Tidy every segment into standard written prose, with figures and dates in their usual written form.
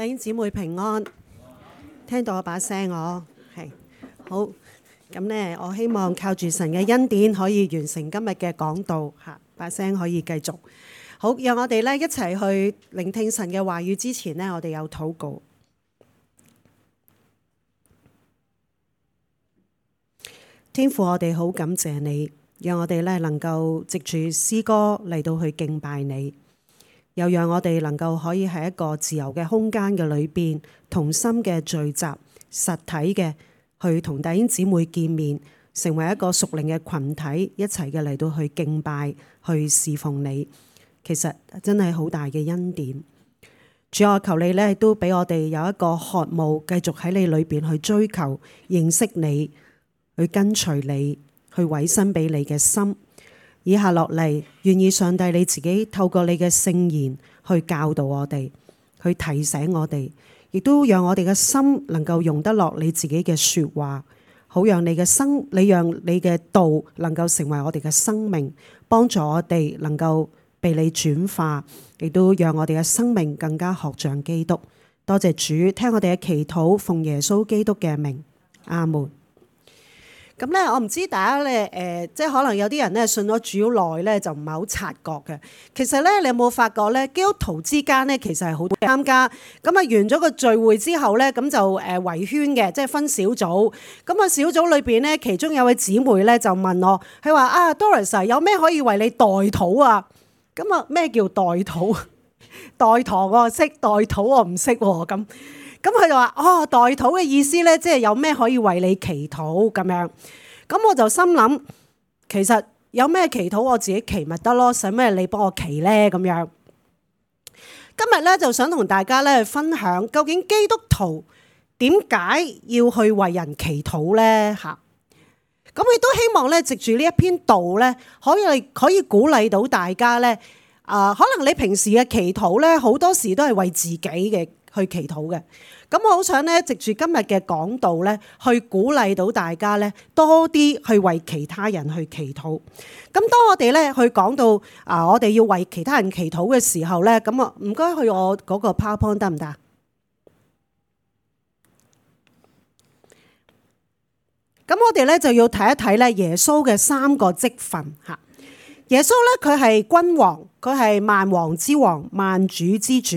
弟兄姊妹平安，聽到我把聲我係好咁呢，我希望靠住神嘅恩典可以完成今日嘅講道嚇，把聲可以繼續好。讓我哋呢一齊去聆聽神嘅話語之前呢，我哋有禱告。天父，我哋好感謝你，讓我哋呢能夠藉住詩歌嚟到去敬拜你。又讓我哋能夠可以喺一個自由嘅空間嘅裏邊，同心嘅聚集，實體嘅去同弟兄姊妹見面，成為一個屬靈嘅群體，一齊嘅嚟到去敬拜，去侍奉你。其實真係好大嘅恩典。主，我求你呢都俾我哋有一個渴慕，繼續喺你裏邊去追求認識你，去跟隨你，去委身俾你嘅心。以下落嚟，願意上帝你自己透過你嘅聖言去教導我哋，去提醒我哋，亦都讓我哋嘅心能夠容得落你自己嘅說話，好讓你讓你嘅道能夠成為我哋嘅生命，幫助我哋能夠被你轉化，亦都讓我哋嘅生命更加學像基督。多謝主，聽我哋嘅祈禱，奉耶穌基督嘅名，阿門。咁咧，我唔知大家咧，即係可能有啲人咧信咗主耐咧，就唔係好察覺嘅。其實咧，你有冇發覺咧，基督徒之間咧，其實係好多參加。咁啊，完咗個聚會之後咧，咁就圍圈嘅，即係分小組。咁啊，小組裏邊咧，其中有位姊妹咧就問我，佢話啊 Doris 有咩可以為你代禱啊？咁啊，咩叫代禱？代堂我識，代禱我唔識喎。咁佢就話：哦，代禱嘅意思咧，即係有咩可以為你祈禱咁樣。咁我就心諗，其實有咩祈禱我自己祈咪得咯，使咩你幫我祈咧咁樣。今日咧就想同大家咧分享，究竟基督徒點解要去為人祈禱咧？嚇！咁亦都希望咧，藉住呢一篇道咧，可以鼓勵到大家咧。可能你平時嘅祈禱咧，好多時都係為自己嘅去祈禱嘅。咁我好想咧，藉住今日嘅講道咧，去鼓勵到大家咧，多啲去為其他人去祈禱。咁當我哋咧去講到我哋要為其他人祈禱嘅時候咧，咁啊唔該去我嗰個 PowerPoint 得唔得？咁我哋咧就要睇一睇咧耶穌嘅3個職分嚇。耶穌咧佢係君王，佢係萬王之王、萬主之主。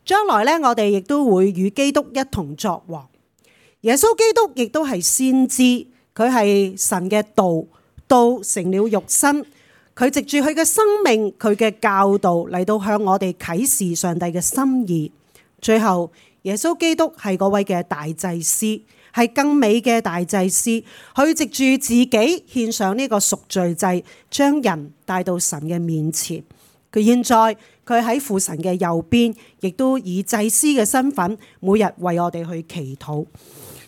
將來咧，我哋亦都會與基督一同作王。耶穌基督亦都係先知，佢係神嘅道，道成了肉身。佢藉住佢嘅生命、佢嘅教導嚟到向我哋啟示上帝嘅心意。最後，耶穌基督係嗰位嘅大祭司，係更美嘅大祭司。佢藉住自己獻上呢個贖罪祭，將人帶到神嘅面前。佢現在佢喺父神嘅右邊，亦都以祭司嘅身份，每日為我哋去祈禱。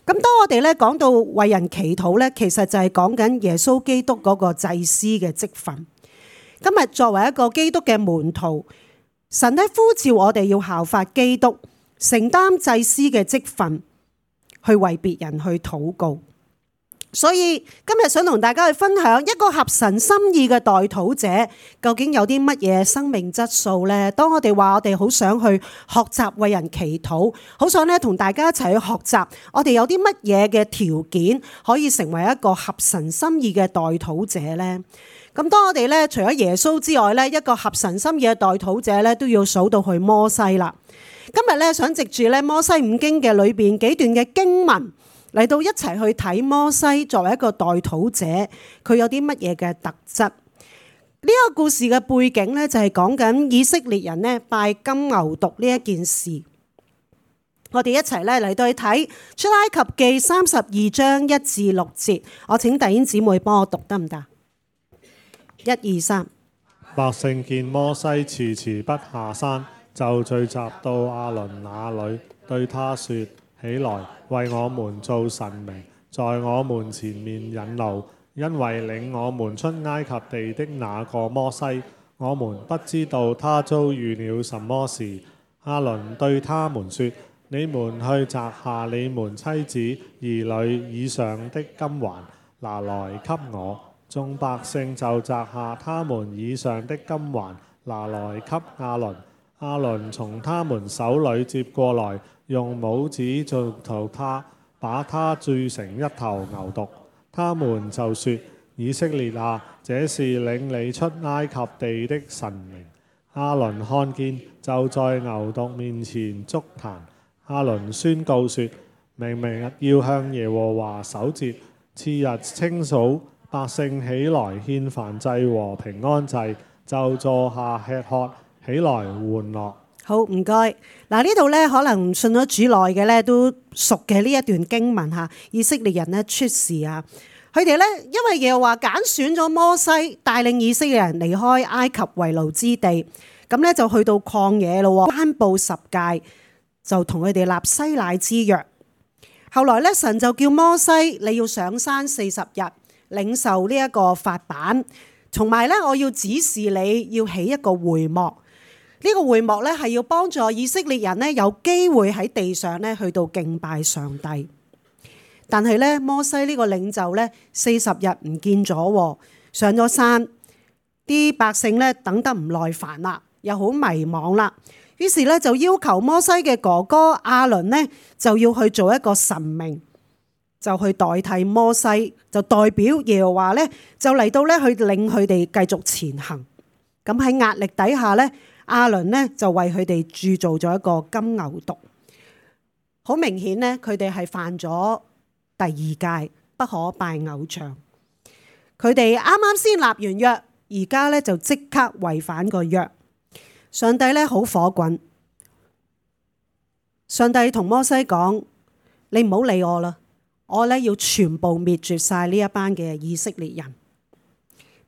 咁當我哋咧講到為人祈禱咧，其實就係講緊耶穌基督嗰個祭司嘅職分。今日作為一個基督嘅門徒，神咧呼召我哋要效法基督，承擔祭司嘅職分，去為別人去禱告。所以今日想同大家去分享一個合神心意嘅代禱者，究竟有啲乜嘢生命質素呢？當我哋話我哋好想去學習為人祈禱，好想咧同大家一齊去學習，我哋有啲乜嘢嘅條件可以成為一個合神心意嘅代禱者呢？咁當我哋咧除咗耶穌之外咧，一個合神心意嘅代禱者咧，都要數到去摩西啦。今日咧想藉住咧摩西五經嘅裏邊幾段嘅經文，嚟到一齊去睇摩西作為一個代禱者，佢有啲乜嘢嘅特質？呢個故事嘅背景咧就係講緊以色列人咧拜金牛犢呢一件事。我哋一齊咧嚟到去睇出埃及記32章1至6節。我請弟兄姊妹幫我讀得唔得？1、2、3。百姓見摩西遲遲不下山，就聚集到亞倫那裏，對他說：起來，為我們造神明，在我們前面引路，因為領我們出埃及地的那個摩西，我們不知道他遭遇了什麼事。亞倫對他們說：你們去摘下你們妻子兒女以上的金環，拿來給我。眾百姓就摘下他們以上的金環，拿來給亞倫。亞倫從他們手裏接過來，用拇指做頭他，把他鑄成一頭牛犢。他們就說：以色列啊，這是領你出埃及地的神明。亞倫看見，就在牛犢面前築壇。亞倫宣告說：明日要向耶和華守節，次日清早百姓起來獻燔祭和平安祭，就坐下吃喝，起來玩樂。好，唔該。嗱，呢度咧可能信咗主耐嘅咧都熟嘅呢一段經文嚇，以色列人咧出事啊，佢哋咧因為耶和華揀選咗摩西帶領以色列人離開埃及為奴之地，咁咧就去到曠野咯，頒布10誡，就同佢哋立西乃之約。後來咧神就叫摩西，你要上山40日，領受呢一個法版，同埋咧我要指示你要起一個會幕。呢個會幕咧係要幫助以色列人咧有機會喺地上咧去到敬拜上帝。但係咧摩西呢個領袖咧40日唔見咗，上咗山，啲百姓咧等得唔耐煩啦，又好迷惘啦，於是咧就要求摩西嘅哥哥亞倫呢就要去做一個神明，就去代替摩西，就代表耶和華咧就嚟到咧去領佢哋繼續前行。咁喺壓力底下咧，亞倫呢就為佢哋鑄造咗一個金牛犢。好明顯呢，佢哋係犯咗第2誡，不可拜偶像。佢哋啱啱先立完約，而家咧就即刻違反個約。上帝咧好火滾，上帝同摩西講：你唔好理我啦，我咧要全部滅絕晒呢一班嘅以色列人。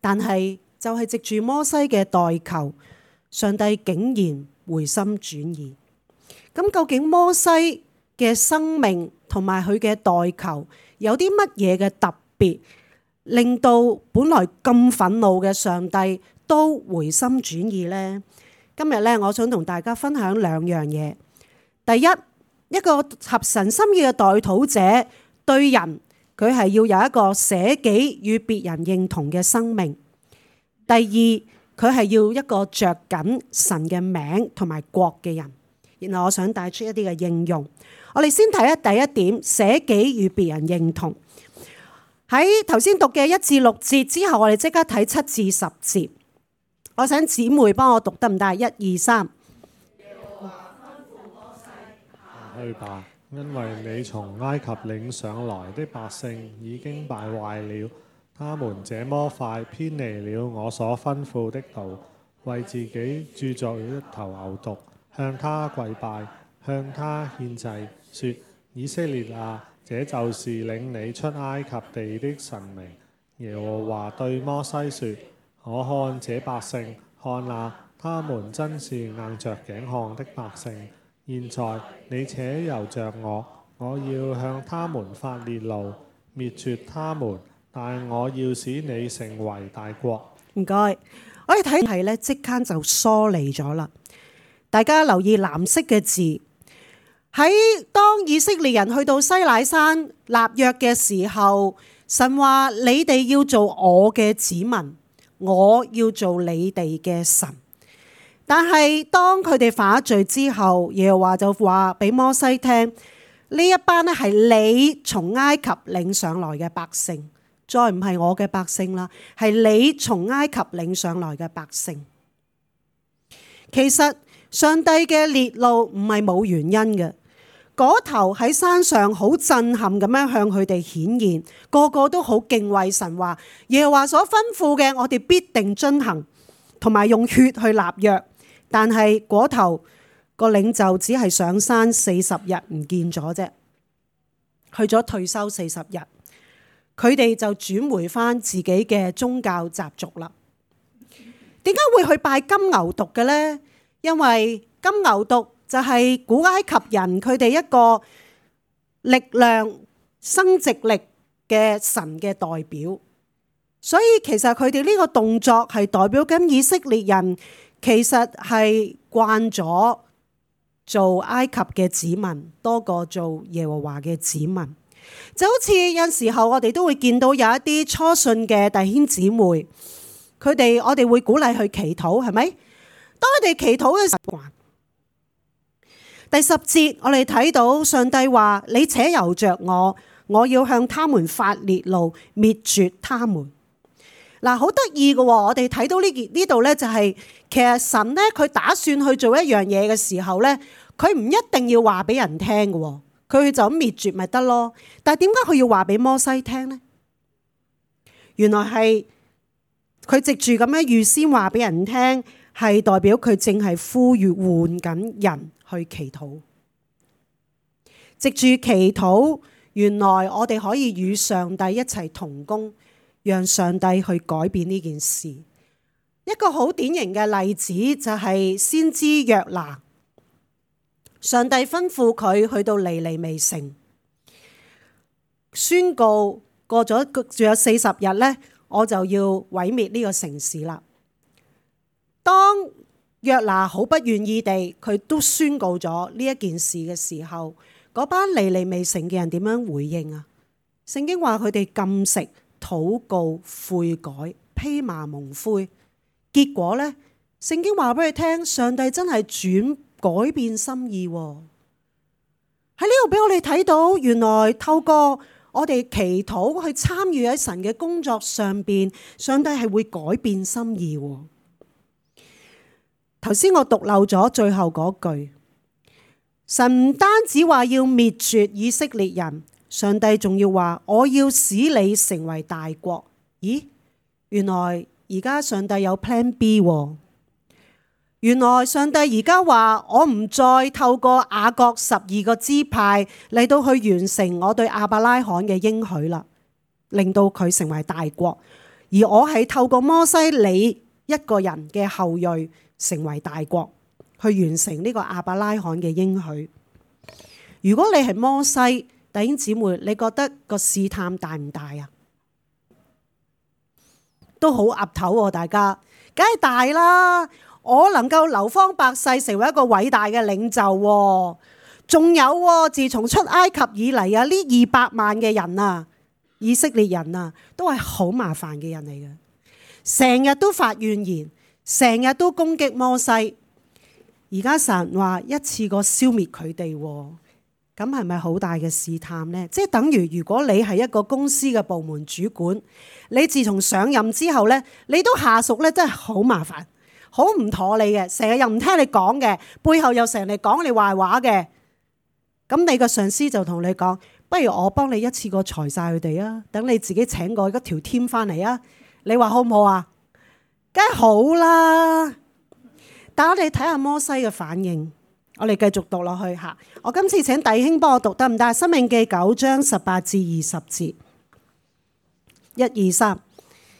但係就係藉住摩西嘅代求，上帝竟然回心轉意。咁究竟摩西嘅生命同埋佢嘅代求有啲乜嘢嘅特別，令到本來咁憤怒嘅上帝都回心轉意呢？今日咧，我想同大家分享2樣嘢。第一，一個合神心意嘅代禱者對人，佢係要有一個捨己與別人認同嘅生命。第二，佢係要一個着緊神嘅名同埋國嘅人。然後我想帶出一啲嘅應用。我哋先睇下第一點，捨己與別人認同。喺頭先讀嘅1至6節之後，我哋即刻睇7至10節。我想姊妹幫我讀得唔得？1、2、3。去吧，因為你從埃及領上來的百姓已經敗壞了，他們這麼快偏離了我所吩咐的道，為自己鑄造一頭牛犢，向他跪拜，向他獻祭，說：以色列啊，這就是領你出埃及地的神明。耶和華對摩西說：我看這百姓，看哪，他們真是硬着頸項的百姓。現在你且由着我，我要向他們發烈怒，滅絕他們，但我要使你成為大國。唔該，我哋睇係咧，即刻就疏離咗啦。大家留意藍色嘅字，喺當以色列人去到西乃山立約嘅時候，神話你哋要做我嘅子民，我要做你哋嘅神。但係當佢哋犯咗罪之後，耶和華就話俾摩西聽：呢一班咧係你從埃及領上來嘅百姓，再唔係我嘅百姓啦，係你從埃及領上來嘅百姓。其實上帝嘅烈怒唔係冇原因嘅，嗰頭喺山上好震撼咁樣向佢哋顯現，個個都好敬畏神，話耶和華所吩咐嘅我哋必定遵行，同埋用血去立約。但係嗰頭個領袖只係上山40日唔見咗啫，去咗退休40日，佢哋就轉回翻自己嘅宗教習俗啦。點解會去拜金牛犢嘅呢？因為金牛犢就係古埃及人佢哋一個力量、生殖力嘅神嘅代表，所以其實佢哋呢個動作係代表緊以色列人。其實係慣咗做埃及嘅子民多過做耶和華嘅子民，就好似有時候我哋都會見到有一啲初信嘅弟兄姊妹，我哋會鼓勵去祈禱，係咪？當佢哋祈禱嘅時候，第10節我哋睇到上帝話：你且由着我，我要向他們發烈怒，滅絕他們。嗱，好得意嘅喎，我哋睇到呢度咧，就係其實神咧，佢打算去做一樣嘢嘅時候咧，佢唔一定要話俾人聽嘅喎，佢就咁滅絕咪得咯。但係點解佢要話俾摩西聽呢？原來係佢藉住咁樣預先話俾人聽，係代表佢正係呼籲喚緊人去祈禱。藉住祈禱，原來我哋可以與上帝一齊同工，讓上帝去改變呢件事。一個好典型嘅例子就係先知約拿，上帝吩咐佢去到尼尼微城，宣告過咗仲有40日呢，我就要毀滅呢個城市啦。當約拿好不願意地，佢都宣告咗呢一件事嘅時候，嗰班尼尼微城嘅人點樣回應啊？聖經話佢哋禁食、禱告、悔改、披麻蒙灰。結果呢，聖經話俾佢聽，上帝真係改變心意喎。喺呢度俾我哋睇到，原來透過我哋祈禱去參與喺神嘅工作上邊，上帝係會改變心意喎。頭先我讀漏咗最後嗰句，神唔單止話要滅絕以色列人，上帝仲要話我要使你成為大國。咦？原來而家上帝有 Plan B 喎。原來上帝而家話我唔再透過雅各12個支派嚟到去完成我對亞伯拉罕嘅應許啦，令到佢成為大國，而我係透過摩西你一個人嘅後裔成為大國，去完成呢個亞伯拉罕嘅應許。如果你係摩西，弟兄姊妹，你覺得個試探大唔大啊？都好岌頭喎，大家梗係大啦！我能夠流芳百世，成為一個偉大嘅領袖，仲有自從出埃及以嚟啊，呢200萬嘅人啊，以色列人啊，都係好麻煩嘅人嚟嘅，成日都發怨言，成日都攻擊摩西。而家神話一次過消滅佢哋，咁係咪好大嘅試探呢？即係等於如果你係一個公司嘅部門主管，你自從上任之後呢，你都下屬呢真係好麻煩，好唔妥你嘅，成日又唔聽你講嘅，背後又成日講你壞話嘅。咁你個上司就同你講，不如我幫你一次過裁晒佢哋啊，等你自己請過一條 team 翻嚟啊，你話好唔好啊？梗係好啦。但我哋睇下摩西嘅反應，我哋繼續讀落去吓。我今次請弟兄幫我讀得唔得？《申命記》9章18至20節，1、2、3。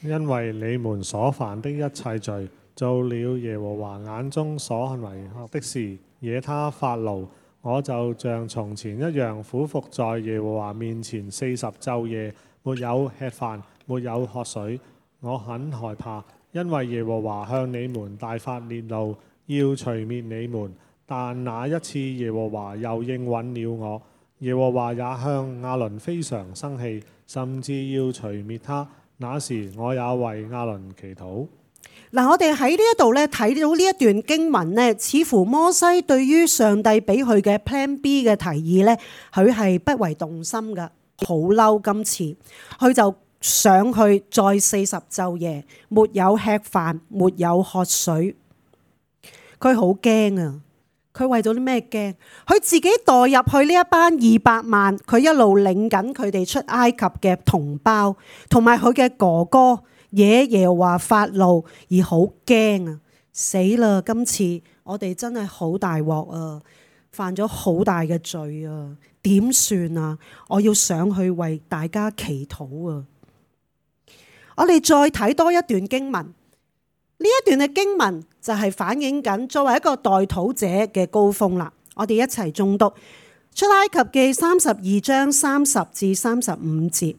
因為你們所犯的一切罪，做了耶和華眼中所恨為惡的事，惹他發怒，我就像從前一樣俯伏在耶和華面前40晝夜，沒有吃飯，沒有喝水。我很害怕，因為耶和華向你們大發烈怒，要除滅你們。但那一次耶和華又應允了我，耶和華也向亞倫非常生氣，甚至要除滅他。那時我也為亞倫祈禱。嗱，我哋喺呢一度咧睇到呢一段經文咧，似乎摩西對於上帝俾佢嘅 Plan B 嘅提議咧，佢係不為動心噶，好嬲。今次佢就上去再40晝夜，沒有吃飯，沒有喝水，佢好驚啊！佢為咗啲咩驚？佢自己代入去呢一班200萬，佢一路領緊佢哋出埃及嘅同胞，同埋佢嘅哥哥，惹耶和華發怒而好驚啊！死啦！今次我哋真係好大鑊啊，犯咗好大嘅罪啊！點算啊？我要上去為大家祈禱啊！我哋再睇多一段經文。呢一段嘅經文就係反映緊作為一個代禱者嘅高峰啦。我哋一齊誦讀出埃及記32章30至35節。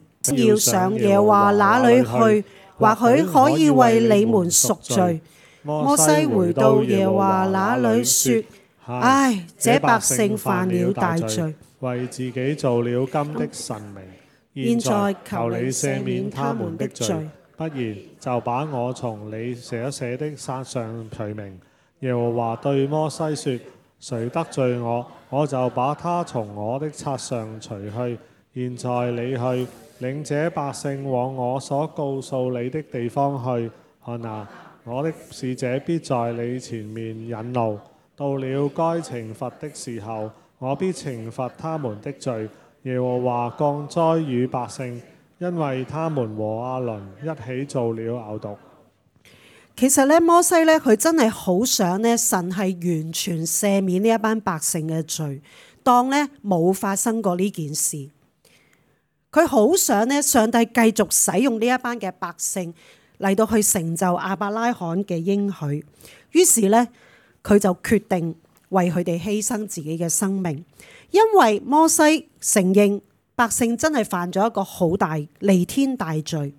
要上耶和華那裡去，或許可以為你們贖罪。摩西回到耶和華那裡說：唉，這百姓犯了大罪，為自己做了金的神明。現在求你赦免他們的罪。不然就把我從你寫的冊上除名。耶和華對摩西說：誰得罪我，我就把他從我的冊上除去。現在你去，領這百姓往我所告訴你的地方去。看哪，我的使者必在你前面引路。到了該懲罰的時候，我必懲罰他們的罪。耶和華降災與百姓，因為他們和亞倫一起做了牛犢。其實咧，摩西咧，佢真係好想咧，神係完全赦免呢一班百姓嘅罪，當咧冇發生過呢件事。佢好想咧，上帝繼續使用呢一班嘅百姓嚟到去成就亞伯拉罕嘅應許。於是咧，佢就決定為佢哋犧牲自己嘅生命，因為摩西承認百姓真係犯咗一個好大彌天大罪。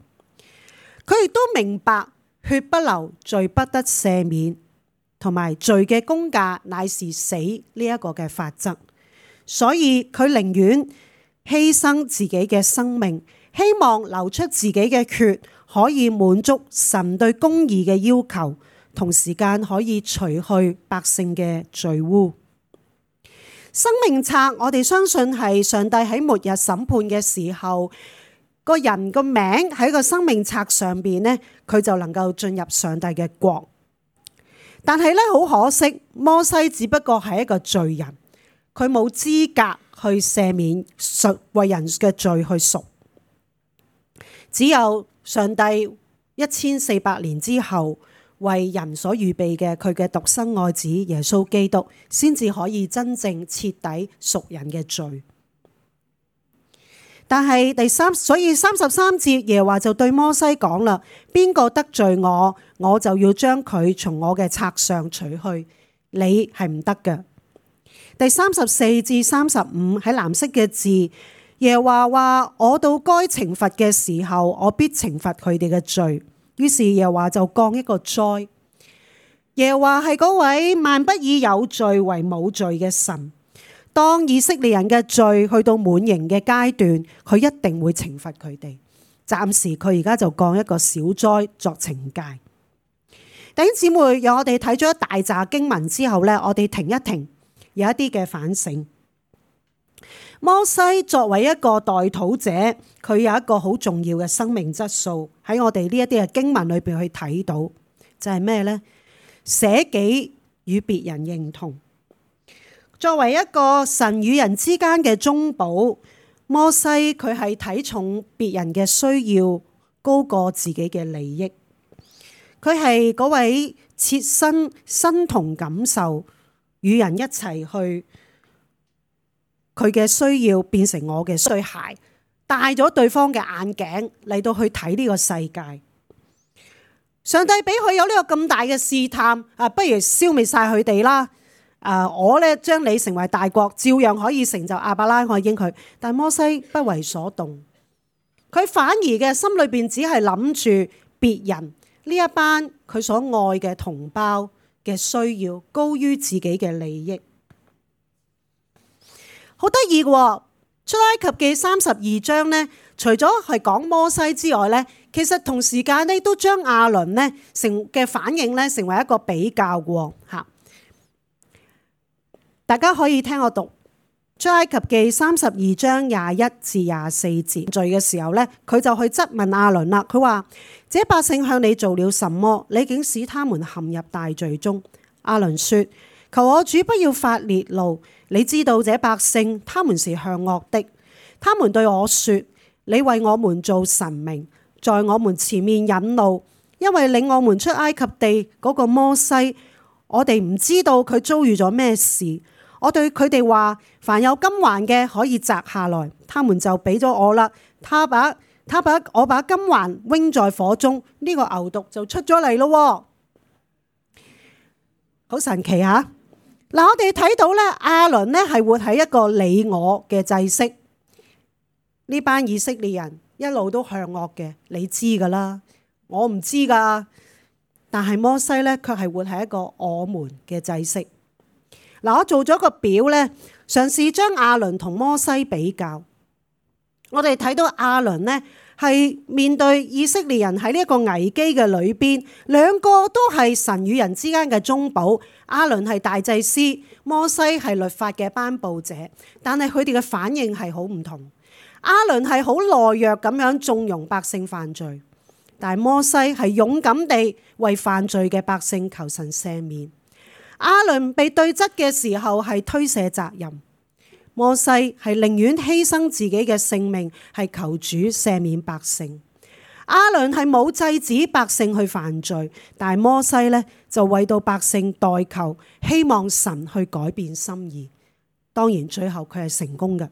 佢亦都明白血不流，罪不得赦免，同埋罪嘅工價乃是死呢一個嘅法則。所以佢寧願犧牲自己嘅生命，希望流出自己嘅血，可以滿足神對公義嘅要求，同時間可以除去百姓嘅罪污。生命冊，我哋相信係上帝喺末日審判嘅時候，個人個名喺個生命冊上邊呢，佢就能夠進入上帝嘅國。但係咧，好可惜，摩西只不過係一個罪人，佢冇資格去赦免為人嘅罪去贖。只有上帝1400年之後為人所預備嘅佢嘅獨生愛子耶穌基督，先至可以真正徹底贖人嘅罪。但係所以33節耶和華就對摩西講啦：邊個得罪我，我就要將佢從我嘅冊上除去，你係唔得嘅。第34至35喺藍色嘅字，耶和華話：我到該懲罰嘅時候，我必懲罰佢哋嘅罪。於是耶和華就降一個災。耶和華係嗰位萬不以有罪為冇罪嘅神。當以色列人嘅罪去到滿盈嘅階段，佢一定會懲罰佢哋。暫時佢而家就降一個小災作懲戒。弟兄姊妹，讓我哋睇咗一大紮經文之後呢，我哋停一停，有一啲嘅反省。摩西作為一個代禱者，佢有一個好重要嘅生命質素，喺我哋呢一啲嘅經文裏邊去睇到，就係咩呢？捨己與別人認同。作為一個神與人之間嘅中保，摩西佢係睇重別人嘅需要高過自己嘅利益。佢係嗰位切身同感受，與人一齊去，佢嘅需要變成我嘅對鞋，戴咗對方嘅眼鏡嚟到去睇呢個世界。上帝俾佢有呢個咁大嘅試探，不如消滅晒佢哋啦。我咧將你成為大國，照樣可以成就亞伯拉罕應許。但摩西不為所動，佢反而嘅心裏邊只係諗住別人呢一班佢所愛嘅同胞嘅需要，高於自己嘅利益。好得意嘅，出埃及記32章呢，除咗係講摩西之外呢，其實同時間呢都將亞倫呢嘅反應呢成為一個比較嘅吓。大家可以聽我讀出埃及記32章21至24節。罪嘅時候呢，佢就去質問亞倫啦。佢話：這百姓向你做了什麼？你竟使他們陷入大罪中？亞倫說：求我主不要發烈怒。你知道這百姓他們是向惡的。他們對我說：你為我們做神明，在我們前面引路，因為領我們出埃及地嗰個摩西，我哋唔知道佢遭遇咗咩事。我對佢哋話：凡有金環嘅可以摘下來，他們就俾咗我啦。我把金環扔在火中，呢個牛犢就出咗嚟咯。好神奇吓！嗱，我哋睇到咧，亞倫咧係活喺一個你我嘅制式。呢班以色列人一路都向惡嘅，你知噶啦，我唔知噶。但係摩西咧，卻係活喺一個我們嘅制式。嗱，我做咗個表咧，嘗試將亞倫同摩西比較。我哋睇到亞倫咧係面對以色列人喺呢一個危機嘅裏邊，兩個都係神與人之間嘅中保。亞倫係大祭司，摩西係律法嘅頒布者，但係佢哋嘅反應係好唔同。亞倫係好懦弱咁樣縱容百姓犯罪，但係摩西係勇敢地為犯罪嘅百姓求神赦免。亞倫被對質嘅時候係推卸責任，摩西係寧願犧牲自己嘅性命，係求主赦免百姓。亞倫係冇制止百姓去犯罪，但係摩西呢就為到百姓代求，希望神去改變心意。當然最後佢係成功嘅。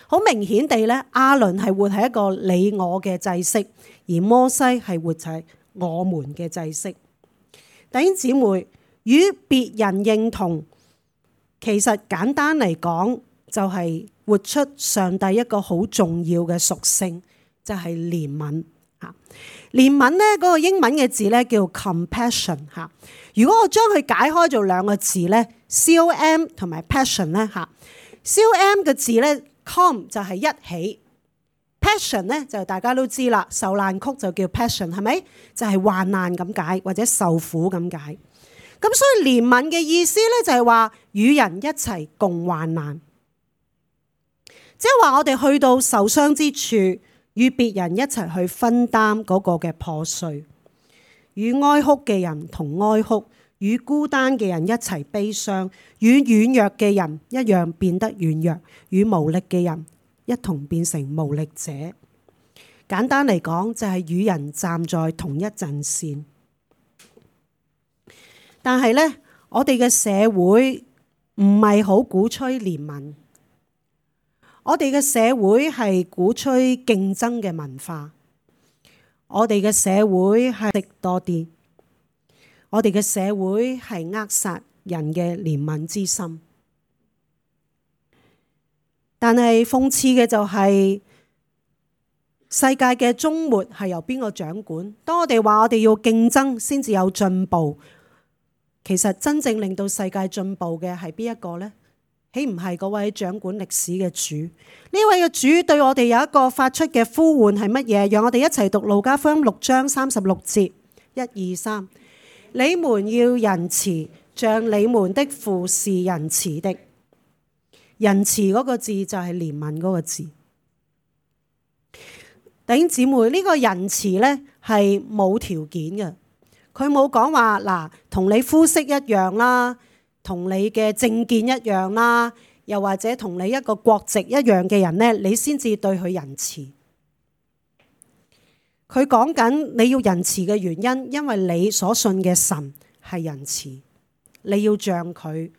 好明顯地呢，亞倫係活喺一個你我嘅制式，而摩西係活喺我們嘅制式。弟兄姊妹，與別人認同，其實簡單嚟講就係活出上帝一個好重要嘅屬性，就係憐憫。憐憫呢嗰個英文嘅字呢叫 compassion。如果我將佢解開做兩個字呢， com 同埋 passion 呢，com 嘅字呢 com 就係一起， passion 呢就大家都知啦，受難曲就叫 passion， 係咪？就係患難咁解，或者受苦咁解。咁所以憐憫嘅意思呢，就係話與人一齊共患難，即係話我哋去到受傷之處，與別人一齊去分擔嗰個嘅破碎，與哀哭嘅人同哀哭，與孤單嘅人一齊悲傷，與軟弱嘅人一樣變得軟弱，與無力嘅人一同變成無力者。簡單嚟講，就係與人站在同一陣線。但係呢，我哋嘅社會唔係好鼓吹憐憫，我哋嘅社會係鼓吹競爭嘅文化，我哋嘅社會係食多啲，我哋嘅社會係扼殺人嘅憐憫之心。但係諷刺嘅就係，世界嘅終末係由邊個掌管？當我哋話我哋要競爭先至有進步，其實真正令到世界進步嘅係邊一個呢？豈唔係嗰位掌管歷史嘅主？呢位嘅主對我哋有一個發出嘅呼喚係乜嘢？讓我哋一齊讀路加福音6章36節，1、2、3。你們要仁慈，像你們的父是仁慈的。仁慈嗰個字就係憐憫嗰個字。弟兄姊妹，呢個仁慈呢係冇條件嘅。佢冇講話嗱，同你膚色一樣啦，同你嘅政見一樣啦，又或者同你一個國籍一樣嘅人呢，你先至對佢仁慈。佢講緊你要仁慈嘅原因，因為你所信嘅神係仁慈，你要像佢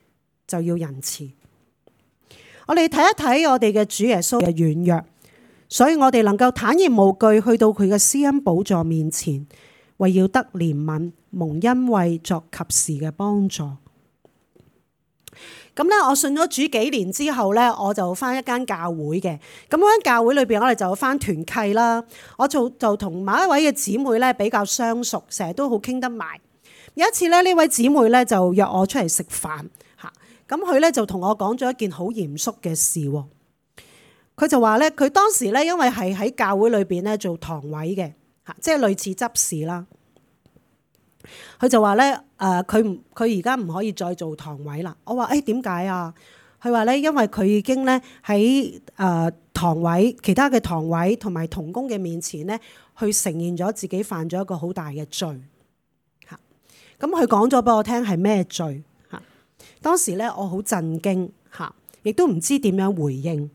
就要仁慈。我哋睇一睇我哋嘅主耶穌嘅軟弱，所以我哋能夠坦然無懼去到佢嘅施恩寶座面前，為要得憐憫，蒙恩惠作及時嘅幫助。咁咧，我信咗主幾年之後咧，我就返一間教會嘅。咁嗰間教會裏邊，我哋就返團契啦。我就同某一位嘅姊妹咧比較相熟，成日都好傾得埋。有一次咧，呢位姊妹咧就約我出嚟食飯嚇。咁佢咧就同我講咗一件好嚴肅嘅事喎。佢就話咧，佢當時咧因為係喺教會裏邊咧做堂委嘅嚇，即係類似執事啦。佢就話咧，佢而家唔可以再做堂委啦。我話誒點解啊？佢話咧，因為佢已經咧喺堂委其他嘅堂委同埋同工嘅面前咧，去承認咗自己犯咗一個好大嘅罪嚇。咁佢講咗俾我聽係咩罪嚇？當時咧我好震驚嚇，亦都唔知點樣回應。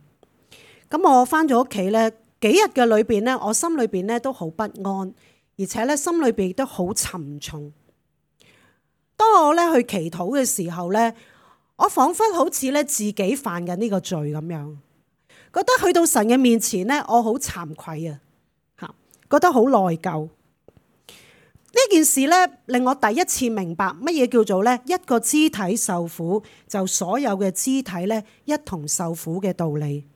咁我返咗屋企咧，幾日嘅裏邊咧，我心裏邊咧都好不安。而且咧，心裏邊都好沉重。當我咧去祈禱嘅時候咧，我彷彿好似咧自己犯緊呢個罪咁樣，覺得去到神嘅面前咧，我好慚愧啊，嚇，覺得好內疚。呢件事咧令我第一次明白乜嘢叫做咧一個肢體受苦，就所有嘅肢體咧一同受苦嘅道理。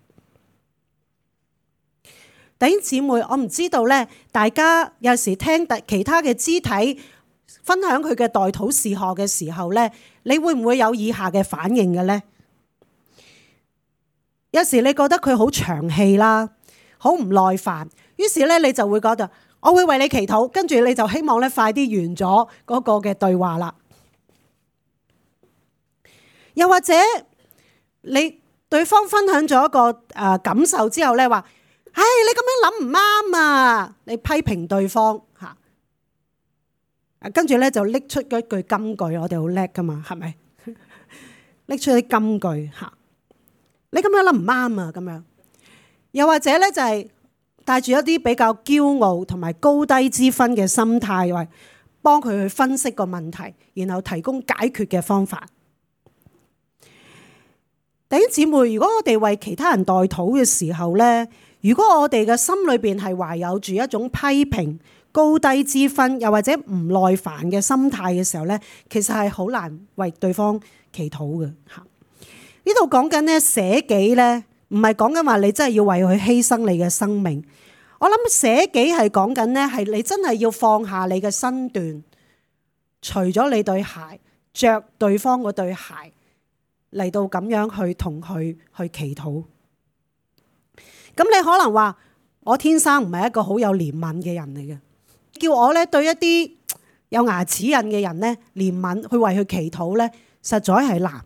弟兄姊妹，我唔知道咧，大家有時聽其他嘅肢體分享佢嘅代禱事項嘅時候咧，你會唔會有以下嘅反應嘅咧？有時你覺得佢好長氣啦，好唔耐煩，於是咧你就會覺得我會為你祈禱，跟住你就希望咧快啲完咗嗰個嘅對話啦。又或者你對方分享咗一個感受之後咧，話：唉，你咁樣諗唔啱啊！你批評對方嚇，跟住咧就拎出嗰句金句，我哋好叻噶嘛，係咪？拎出啲金句嚇，你咁樣諗唔啱啊！咁樣，又或者咧就係帶住一啲比較驕傲同埋高低之分嘅心態，話幫佢去分析個問題，然後提供解決嘅方法。弟兄姊妹，如果我哋為其他人代禱嘅時候咧，如果我哋嘅心裏邊係懷有住一種批評、高低之分，又或者唔耐煩嘅心態嘅時候咧，其實係好難為對方祈禱嘅嚇。呢度講緊咧捨己咧，唔係講緊話你真係要為佢犧牲你嘅生命。我諗捨己係講緊咧，係你真係要放下你嘅身段，除咗你對鞋，着對方嗰對鞋嚟到咁樣去同佢去祈禱。咁你可能話我天生唔係一個好有憐憫嘅人嚟嘅，叫我咧對一啲有牙齒印嘅人咧憐憫，去為佢祈禱咧，實在係難。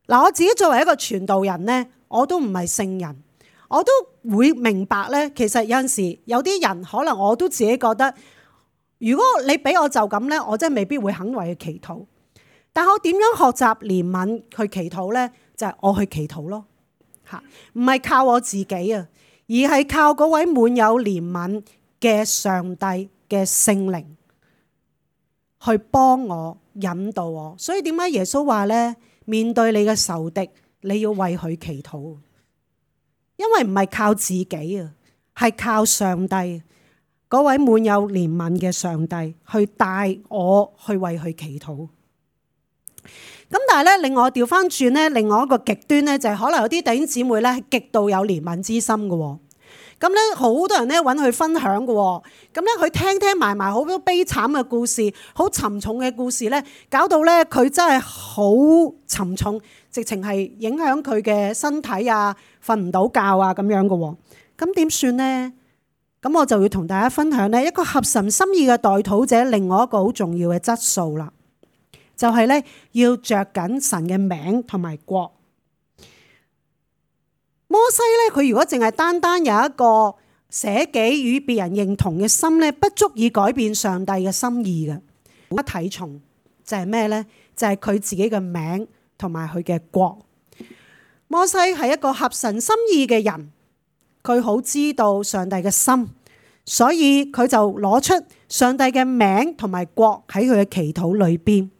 嗱，我自己作為一個傳道人咧，我都唔係聖人，我都會明白咧。其實有陣時有啲人可能我都自己覺得，如果你俾我就咁咧，我真係未必會肯為佢祈禱。但我點樣學習憐憫去祈禱咧？就係我去祈禱咯，嚇，唔係靠我自己啊，而係靠嗰位滿有憐憫嘅上帝嘅聖靈去幫我引導我。所以點解耶穌話咧，面對你嘅仇敵，你要為佢祈禱，因為唔係靠自己啊，係靠上帝嗰位滿有憐憫嘅上帝去帶我去為佢祈禱。咁但係咧，另外調翻轉咧，另外一個極端咧，就係可能有啲弟兄姊妹咧係極度有憐憫之心嘅。咁咧好多人咧揾佢分享嘅。咁咧佢聽埋好多悲慘嘅故事，好沉重嘅故事咧，搞到咧佢真係好沉重，直情係影響佢嘅身體啊，瞓唔到覺啊咁樣嘅。咁點算咧？咁我就要同大家分享咧一個合神心意嘅代禱者，另外一個好重要嘅質素啦。就係咧，要着緊神嘅名同埋國。摩西咧，佢如果淨係單單有一個捨己與別人認同嘅心咧，不足以改變上帝嘅心意嘅。一睇重就係咩咧？就係佢自己嘅名同埋佢嘅國。摩西係一個合神心意嘅人，佢好知道上帝嘅心，所以佢就攞出上帝嘅名同埋國喺佢嘅祈禱裏邊。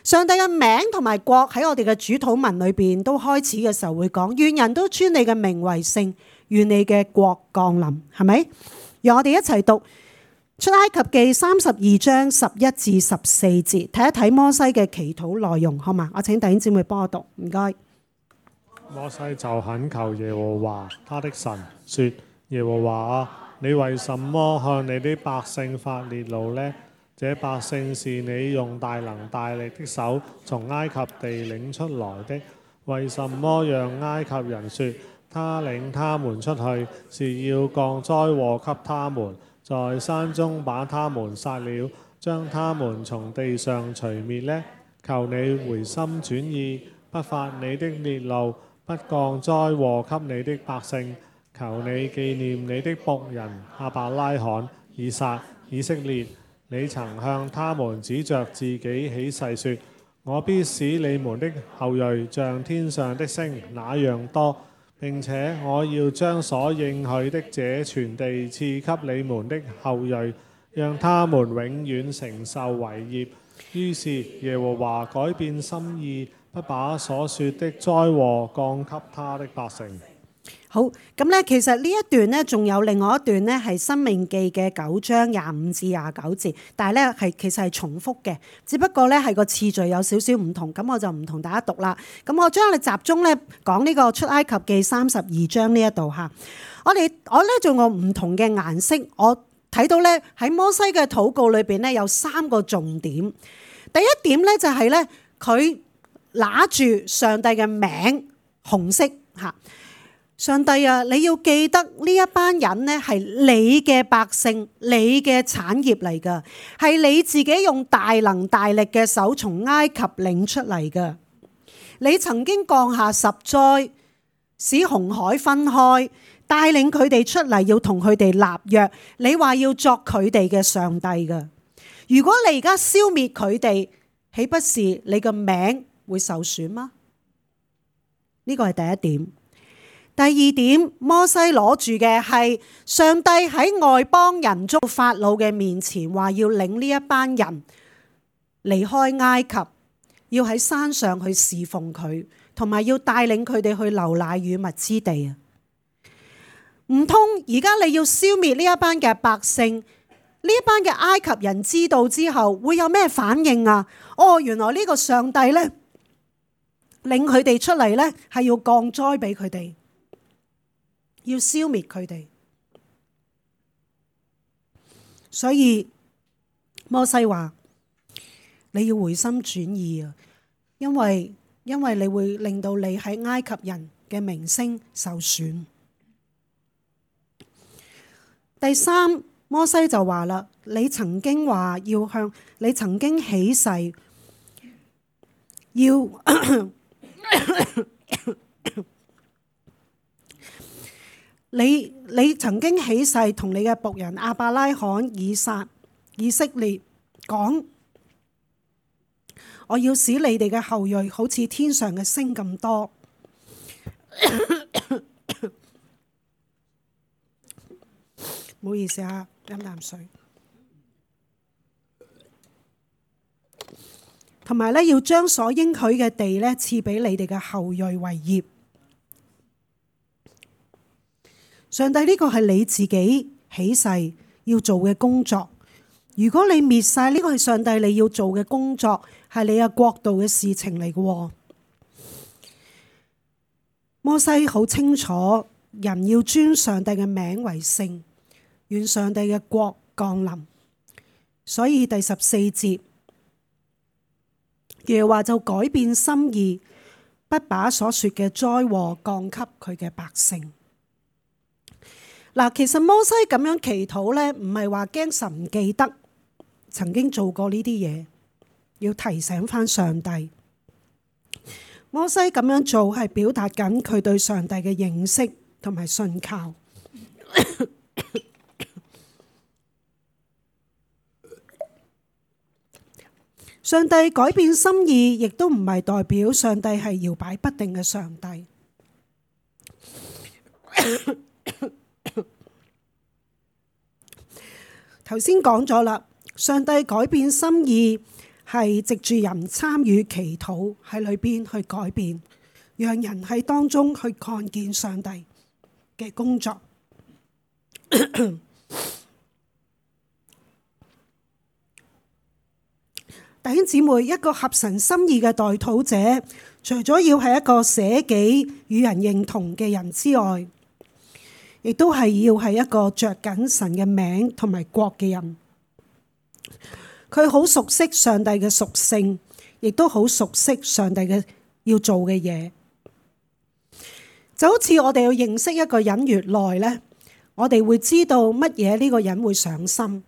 上帝嘅名同埋國喺我哋嘅主禱文裏邊都開始嘅時候會講，願人都尊你嘅名為聖，願你嘅國降臨，係咪？讓我哋一齊讀出埃及記32章11至14節，睇一睇摩西嘅祈禱內容，好嘛？我請弟兄姊妹幫我讀，唔該。摩西就懇求耶和華他的神說：耶和華啊，你為什麼向你的百姓發烈怒呢？這百姓是你用大能大力的手從埃及地領出來的，為什麼讓埃及人說他領他們出去是要降災禍給他們，在山中把他們殺了，將他們從地上除滅呢？求你回心轉意，不發你的烈怒，不降災禍給你的百姓。求你紀念你的僕人亞伯拉罕、以撒、以色列。你曾向他們指着自己起誓說：我必使你們的後裔像天上的星那樣多，並且我要將所應許的這全地賜給你們的後裔，讓他們永遠承受為業。於是耶和華改變心意，不把所說的災禍降給他的百姓。好，咁咧，其實呢一段咧，仲有另外一段咧，係《申命記》嘅9章25至29節，但係咧其實係重複嘅，只不過咧係個次序有少少唔同，咁我就唔同大家讀啦。咁我將你集中咧講呢個出埃及記32章呢一度嚇。我咧仲有唔同嘅顏色，我睇到咧喺摩西嘅禱告裏邊咧有3個重點。第一點咧就係咧佢拿住上帝嘅名，紅色嚇。上帝啊，你要記得呢一班人呢係你嘅百姓，你嘅產業嚟㗎，係你自己用大能大力嘅手從埃及領出嚟㗎。你曾經降下10災，使紅海分開，帶領佢哋出嚟，要同佢哋立約。你話要作佢哋嘅上帝㗎。如果你而家消滅佢哋，豈不是你個名會受損嗎？呢個係第一點。第二點，摩西攞住嘅係上帝喺外邦人中法老嘅面前話要領呢一班人離開埃及，要喺山上去侍奉佢，同埋要帶領佢哋去流奶與蜜之地啊！唔通而家你要消滅呢一班嘅百姓，呢一班嘅埃及人知道之後會有咩反應啊？哦，原來呢個上帝呢，領佢哋出嚟呢，係要降災俾佢哋，要消滅佢哋。所以摩西話你要回心轉意啊，因為你會令到你喺埃及人嘅名聲受損。第三，摩西就話啦，你曾經話要向，你曾經起誓要你曾經起誓同你嘅僕人亞伯拉罕、以撒、以色列講，我要使你哋嘅後裔好似天上嘅星咁多。唔好意思啊，飲啖水。同埋咧，要將所應許嘅地咧賜俾你哋嘅後裔為業。上帝，呢個係你自己起誓要做嘅工作。如果你滅晒，呢個係上帝你要做嘅工作，係你嘅國度嘅事情嚟嘅。摩西好清楚，人要尊上帝嘅名為聖，願上帝嘅國降臨。所以第14節，耶和華就改變心意，不把所說嘅災禍降給佢嘅百姓。嗱，其實摩西咁樣祈禱呢，唔係話驚神唔記得曾經做過呢啲嘢，要提醒翻上帝。摩西咁樣做係表達緊佢對上帝嘅認識同埋信靠。上帝改變心意，亦都唔係代表上帝係搖擺不定嘅上帝。頭先講咗啦，上帝改變心意係藉住人參與祈禱喺裏邊去改變，讓人喺當中去看見上帝嘅工作。弟兄姊妹，一個合神心意嘅代禱者，除咗要係一個捨己與人認同嘅人之外，亦都係要係一個着緊神嘅名同埋國嘅人。佢好熟悉上帝嘅屬性，亦都好熟悉上帝嘅要做嘅嘢。就好似我哋要認識一個人越耐呢，我哋會知道乜嘢呢個人會上心。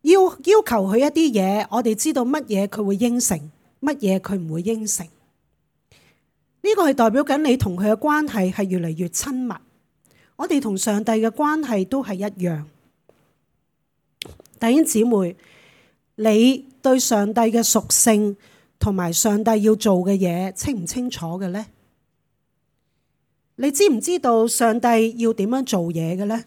要求佢一啲嘢，我哋知道乜嘢佢會應承，乜嘢佢唔會應承。呢個係代表緊你同佢嘅關係係越嚟越親密。我哋同上帝嘅關係都係一樣。弟兄姊妹，你對上帝嘅屬性同埋上帝要做嘅嘢清唔清楚嘅呢？你知唔知道上帝要點樣做嘢嘅呢？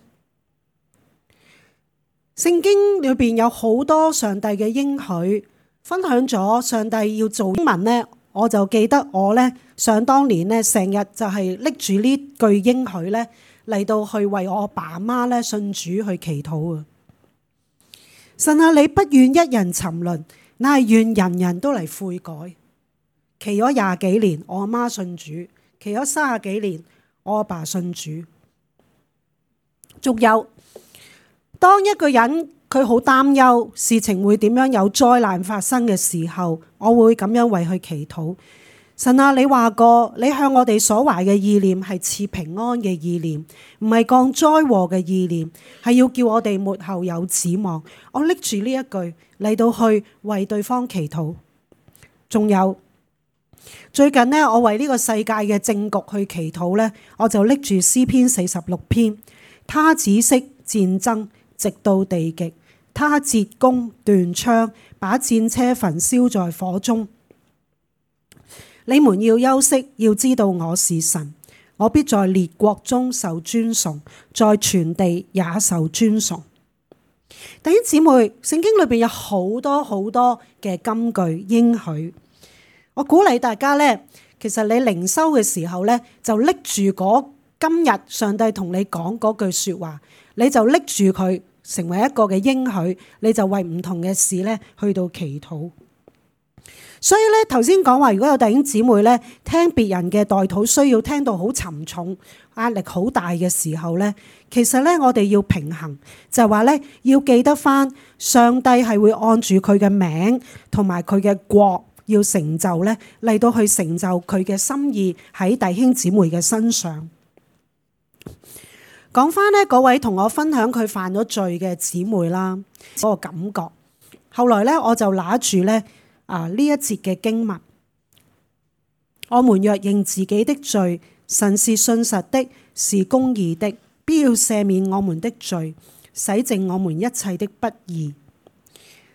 聖經裏邊有好多上帝嘅應許，分享咗上帝要做經文呢，我就記得我呢，想當年呢，成日就係拎住呢句應許呢嚟到去為我爸媽呢信主去祈禱啊！神啊，你不願一人沉淪，乃係願人人都嚟悔改。祈咗20幾年，我阿媽信主；祈咗30幾年，我阿爸信主。仲有，當一個人佢好擔憂事情會點樣有災難發生嘅時候，我會咁樣為佢祈禱。神啊，你話過，你向我哋所懷嘅意念係賜平安嘅意念，唔係降災禍嘅意念，係要叫我哋末後有指望。我拎住呢一句嚟到去為對方祈禱。仲有最近呢，我為呢個世界嘅政局去祈禱呢，我就拎住詩篇46篇，他止息戰爭，直到地極，他折弓斷槍，把戰車焚燒在火中。你們要休息，要知道我是神，我必在列國中受尊崇，在全地也受尊崇。弟兄姊妹，聖經裏邊有好多好多嘅金句應許，我鼓勵大家呢，其實你靈修嘅時候呢，就拎住嗰今日上帝同你講嗰句說話，你就拎住佢成為一個嘅應許，你就為唔同嘅事呢去到祈禱。所以咧，頭先講話，如果有弟兄姊妹咧聽別人嘅代禱需要聽到好沉重、壓力好大嘅時候咧，其實咧我哋要平衡，就係話咧要記得返上帝係會按住佢嘅名同埋佢嘅國要成就咧嚟到去成就佢嘅心意喺弟兄姊妹嘅身上。講返咧嗰位同我分享佢犯咗罪嘅姊妹啦，嗰個感覺。後來咧我就拿住咧。呢一節嘅經文，我們若認自己的罪，神是信實的，是公義的，必要赦免我們的罪，洗淨我們一切的不義。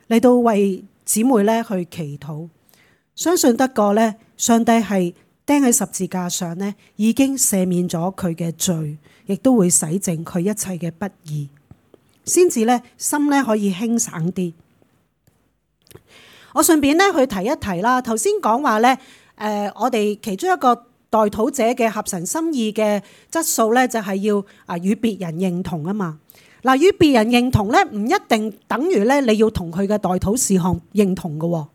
嚟到為姊妹咧去祈禱，相信得過咧，上帝係釘喺十字架上咧，已經赦免咗佢嘅罪，亦都會洗淨佢一切嘅不義，先至咧心咧可以輕省啲。我順便咧去提一提啦，頭先講話咧，我哋其中一個代禱者嘅合神心意嘅質素咧，就係要與別人認同啊嘛。嗱，與別人認同咧，唔一定等於咧你要同佢嘅代禱事項認同嘅喎，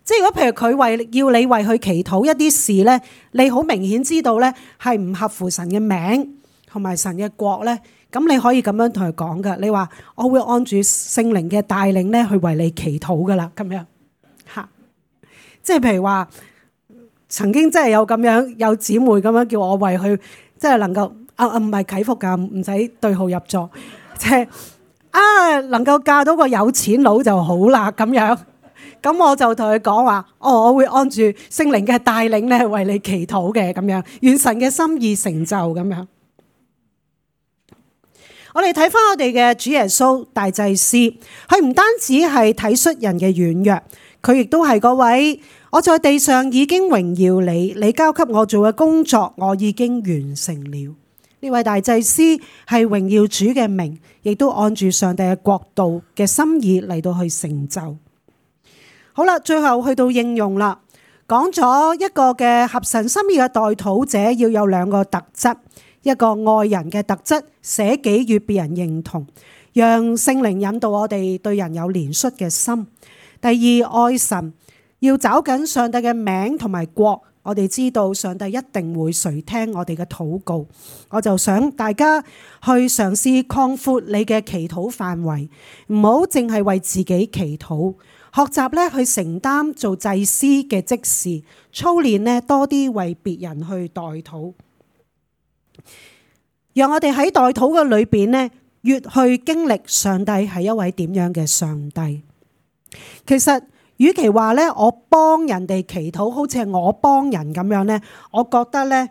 即係如果譬如佢要你為佢祈禱一啲事咧，你好明顯知道咧係唔合乎神嘅名同埋神嘅國咧。咁你可以咁樣同佢講㗎，你話我會按住聖靈嘅帶領咧去為你祈禱㗎啦，咁樣嚇。即係譬如話，曾經真係有咁樣有姊妹咁樣叫我為佢，即係能夠唔係祈福㗎，唔使對號入座，即係能夠嫁到個有錢佬就好啦咁樣。咁我就同佢講話，我會按住聖靈嘅帶領咧為你祈禱嘅咁樣，願神嘅心意成就咁樣。我哋睇翻我哋嘅主耶穌大祭司，佢唔單止係體恤人嘅軟弱，佢亦都係嗰位我在地上已經榮耀你，你交給我做嘅工作我已經完成了。呢位大祭司係榮耀主嘅名，亦都按住上帝嘅國度嘅心意嚟到去成就。好啦，最後去到應用啦，講咗一個嘅合神心意嘅代禱者要有兩個特質。一個愛人嘅特質，捨己與別人認同，讓聖靈引導我哋對人有憐恤嘅心。第二，愛神，要找緊上帝嘅名同埋國，我哋知道上帝一定會垂聽我哋嘅禱告。我就想大家去嘗試擴闊你嘅祈禱範圍，唔好淨係為自己祈禱，學習咧去承擔做祭司嘅職事，操練咧多啲為別人去代禱。讓我哋喺代禱嘅裏邊呢，越去經歷上帝係一位點樣嘅上帝。其實，與其話呢，我幫人哋祈禱，好似係我幫人咁樣呢，我覺得呢，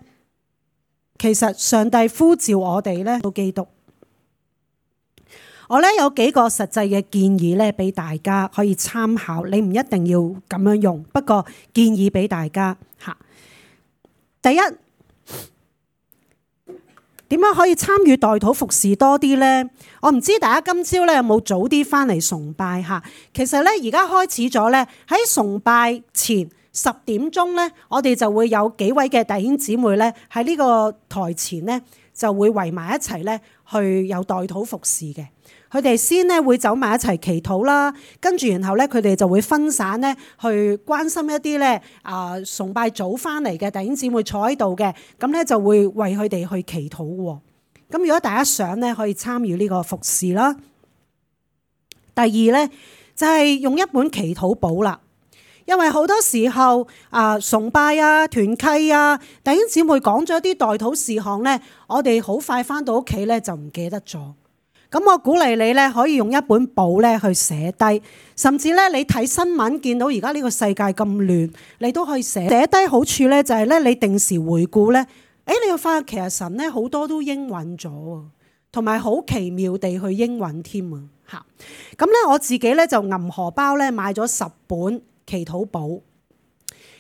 其實上帝呼召我哋呢到基督。我呢有幾個實際嘅建議呢，俾大家可以參考。你唔一定要咁樣用，不過建議俾大家吓。第一，點樣可以參與代禱服侍多啲呢？我唔知大家今朝咧有冇早啲翻嚟崇拜嚇。其實咧而家開始咗咧，喺崇拜前10點鐘咧，我哋就會有幾位嘅弟兄姊妹咧喺呢個台前咧就會圍埋一齊咧去有代禱服侍嘅。佢哋先咧會走埋一齊祈禱啦，跟住然後咧佢哋就會分散咧去關心一啲咧崇拜早翻嚟嘅弟兄姊妹坐喺度嘅，咁咧就會為佢哋去祈禱喎。咁如果大家想咧可以參與呢個服侍啦。第二咧就係用一本祈禱簿啦。因為好多時候崇拜啊、團契啊，弟兄姊妹講咗一啲代禱事項咧，我哋好快翻到屋企咧就唔記得咗。咁我鼓勵你咧，可以用一本簿咧去寫低，甚至咧你睇新聞見到而家呢個世界咁亂，你都可以寫低。好處咧就係咧，你定時回顧咧，你又發現其實神咧好多都應允咗，同埋好奇妙地去應允添啊！嚇，咁咧我自己咧就銀荷包咧買咗10本祈禱簿。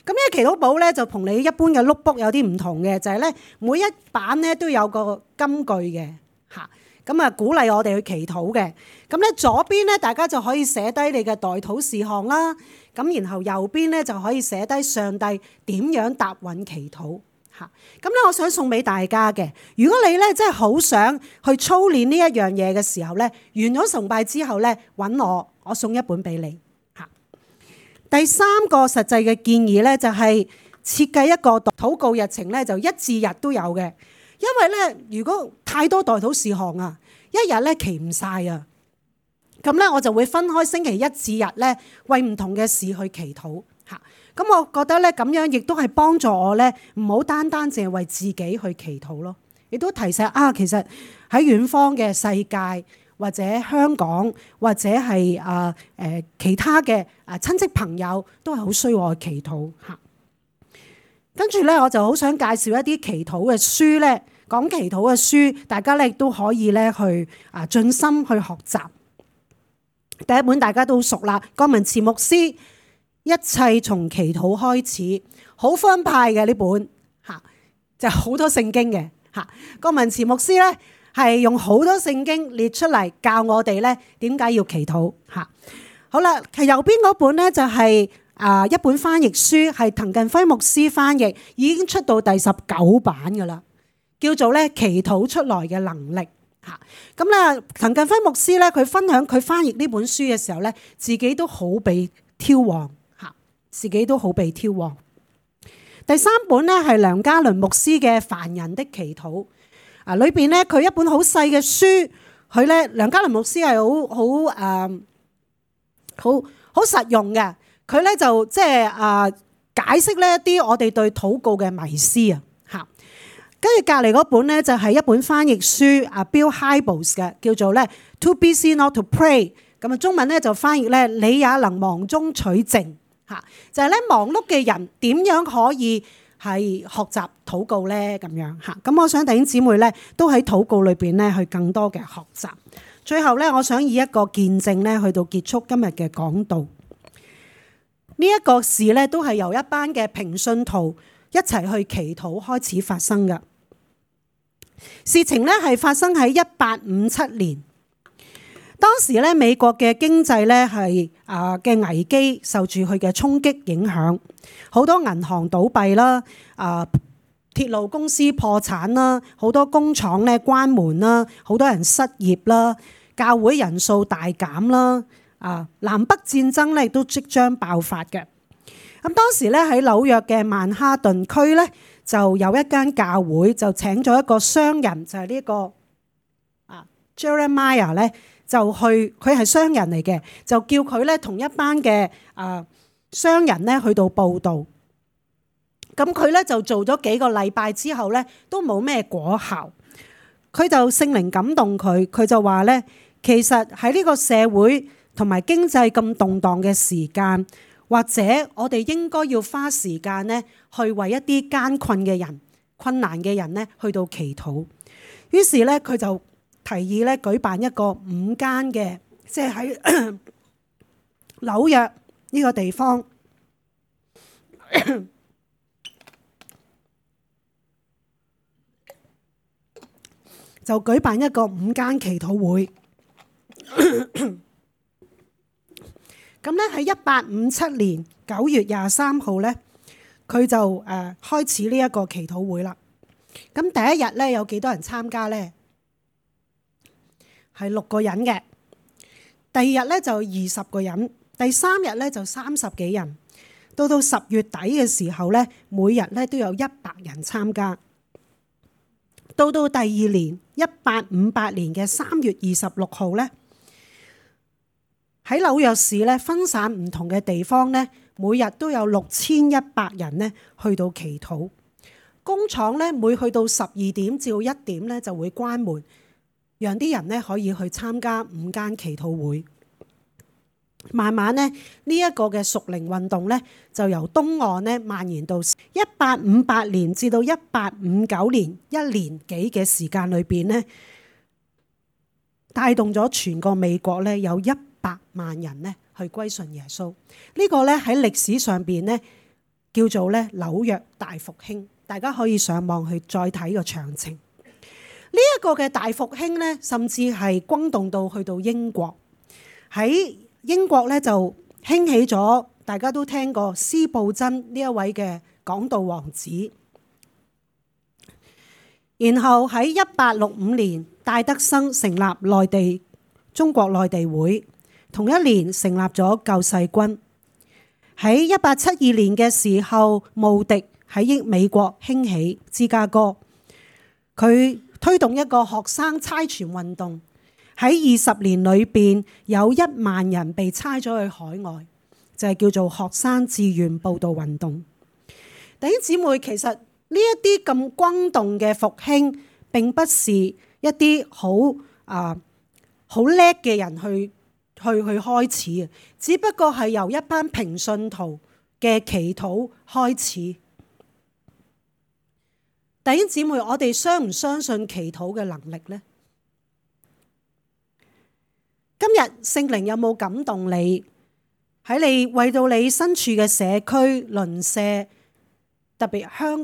咁呢個祈禱簿咧就同你一般嘅 notebook 有啲唔同嘅，就係咧每一版咧都有個金句嘅嚇。咁啊，鼓勵我哋去祈禱嘅。咁咧左邊咧，大家就可以寫低你嘅代禱事項啦。咁然後右邊咧就可以寫低上帝點樣答允祈禱嚇。咁咧，我想送俾大家嘅，如果你咧真係好想去操練呢一樣嘢嘅時候咧，完咗崇拜之後咧，揾我送一本俾你嚇。第3個實際嘅建議咧，就係設計一個禱告日程咧，就1至日都有嘅。因為咧，如果太多代禱事項啊，一日咧祈唔晒啊，咁咧我就會分開星期1至日咧，為唔同嘅事去祈禱嚇。咁我覺得咧咁樣亦都係幫助我咧，唔好單單淨係為自己去祈禱咯，亦都提醒其實喺遠方嘅世界或者香港或者係其他嘅親戚朋友都係好需要我祈禱嚇。跟住咧，我就好想介紹一啲祈禱嘅書咧，講祈禱嘅書，大家咧亦都可以咧去盡心去學習。第一本大家都熟啦，郭文慈牧師一切從祈禱開始，好分派嘅呢本嚇，就好多聖經嘅嚇。郭文慈牧師咧係用好多聖經列出嚟教我哋咧點解要祈禱嚇。好啦，係右邊嗰本咧就係一本翻譯書，係滕近輝牧師翻譯，已經出到第19版噶啦，叫做咧祈禱出來嘅能力嚇。咁咧，滕近輝牧師咧，佢分享佢翻譯呢本書嘅時候咧，自己都好被挑旺嚇，自己都好被挑旺。第3本咧係梁家麟牧師嘅《凡人的祈禱》裏邊咧佢一本好細嘅書，佢咧梁家麟牧師係好實用嘅。佢咧就即係解釋呢一啲我哋對禱告嘅迷思啊嚇。跟住隔離嗰本咧就係一本翻譯書Bill Hybels 嘅，叫做咧 Too Busy Not to Pray。咁中文咧就翻譯咧你也能忙中取靜嚇，就係咧忙碌嘅人點樣可以係學習禱告咧咁樣嚇。咁我想弟兄姊妹咧都喺禱告裏邊咧去更多嘅學習。最後咧，我想以一個見證咧去到結束今日嘅講道。呢一個事咧，都係由一班嘅平信徒一齊去祈禱開始發生嘅事情咧，係發生喺1857年。當時咧，美國嘅經濟咧係嘅危機受住佢嘅衝擊影響，好多銀行倒閉啦，鐵路公司破產啦，好多工廠咧關門啦，好多人失業啦，教會人數大減啦。南北戰爭咧亦都即將爆發嘅。咁當時咧喺紐約嘅曼哈頓區咧就有一間教會，就請咗一個商人，就係呢個Jeremiah 咧，就去佢係商人嚟嘅，就叫佢咧同一班嘅商人咧去到報道。咁佢咧就做咗幾個禮拜之後咧都冇咩果效，佢就聖靈感動佢，佢就話咧其實喺呢個社會同埋經濟咁動盪嘅時間，或者我哋應該要花時間咧，去為一啲艱困嘅人、困難嘅人咧，去到祈禱。於是咧，佢就提議咧舉辦一個5間嘅，即係喺紐約呢個地方，就舉辦一個5間祈禱會。咁咧喺1857年9月23號咧，佢就開始呢一個祈禱會啦。咁第一日咧有幾多人參加咧？係6個人嘅。第二日咧就20個人，第3日咧就30幾人。到10月底嘅時候咧，每日咧都有100人參加。到第二年1858年嘅3月26號咧，喺紐約市咧分散唔同嘅地方咧，每日都有6100人呢去到祈禱。工廠呢，每去到12點至到1點呢就會關門，讓啲人呢可以去參加午間祈禱會。慢慢呢，呢一個嘅屬靈運動呢，就由東岸呢蔓延到1858年至到1859年1年幾嘅時間裏邊呢，帶動咗全個美國呢有100萬人呢去歸順耶穌。呢個呢喺歷史上邊呢叫做呢紐約大復興，大家可以上網去再睇個詳情。呢一個嘅大復興呢，甚至係轟動到去到英國。喺英國咧就興起咗，大家都聽過司布真呢一位嘅講道王子。然後喺1865年，戴德生成立中國內地會，同一年成立咗救世軍。喺1872年嘅時候，慕迪喺美國興起芝加哥，佢推動一個學生差傳運動。喺20年裏邊，有1萬人被差咗去海外，就係叫做學生志願報道運動。弟兄姊妹，其實呢一啲咁轟動嘅復興，並不是一啲好叻嘅人去開始嘅，只不過係由一班平信徒嘅祈禱開始。弟兄姊妹，我哋相唔相信祈禱嘅能力呢？今日聖靈有冇感動你？喺你為到你身處嘅社區鄰舍，特別香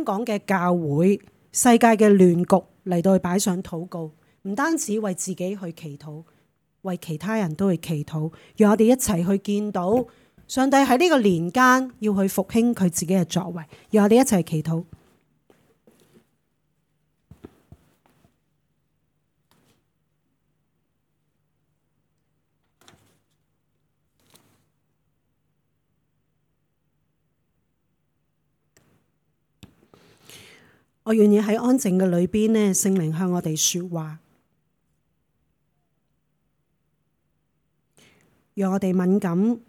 港嘅教會、世界嘅亂局嚟到去擺上禱告，唔單止為自己去祈禱，為其他人都去祈禱，讓我哋一齊去見到上帝喺呢個年間要去復興佢自己嘅作為，讓我哋一齊祈禱。我願意喺安靜嘅裏邊呢，聖靈向我哋說話，讓我哋敏感。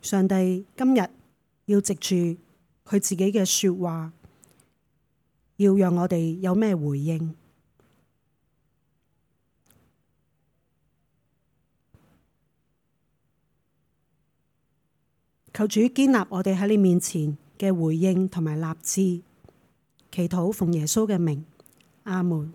上帝今日要藉住佢自己嘅說話，要讓我哋有咩回應？求主堅立我哋喺你面前嘅回應同埋立志。祈禱奉耶穌嘅名，阿門。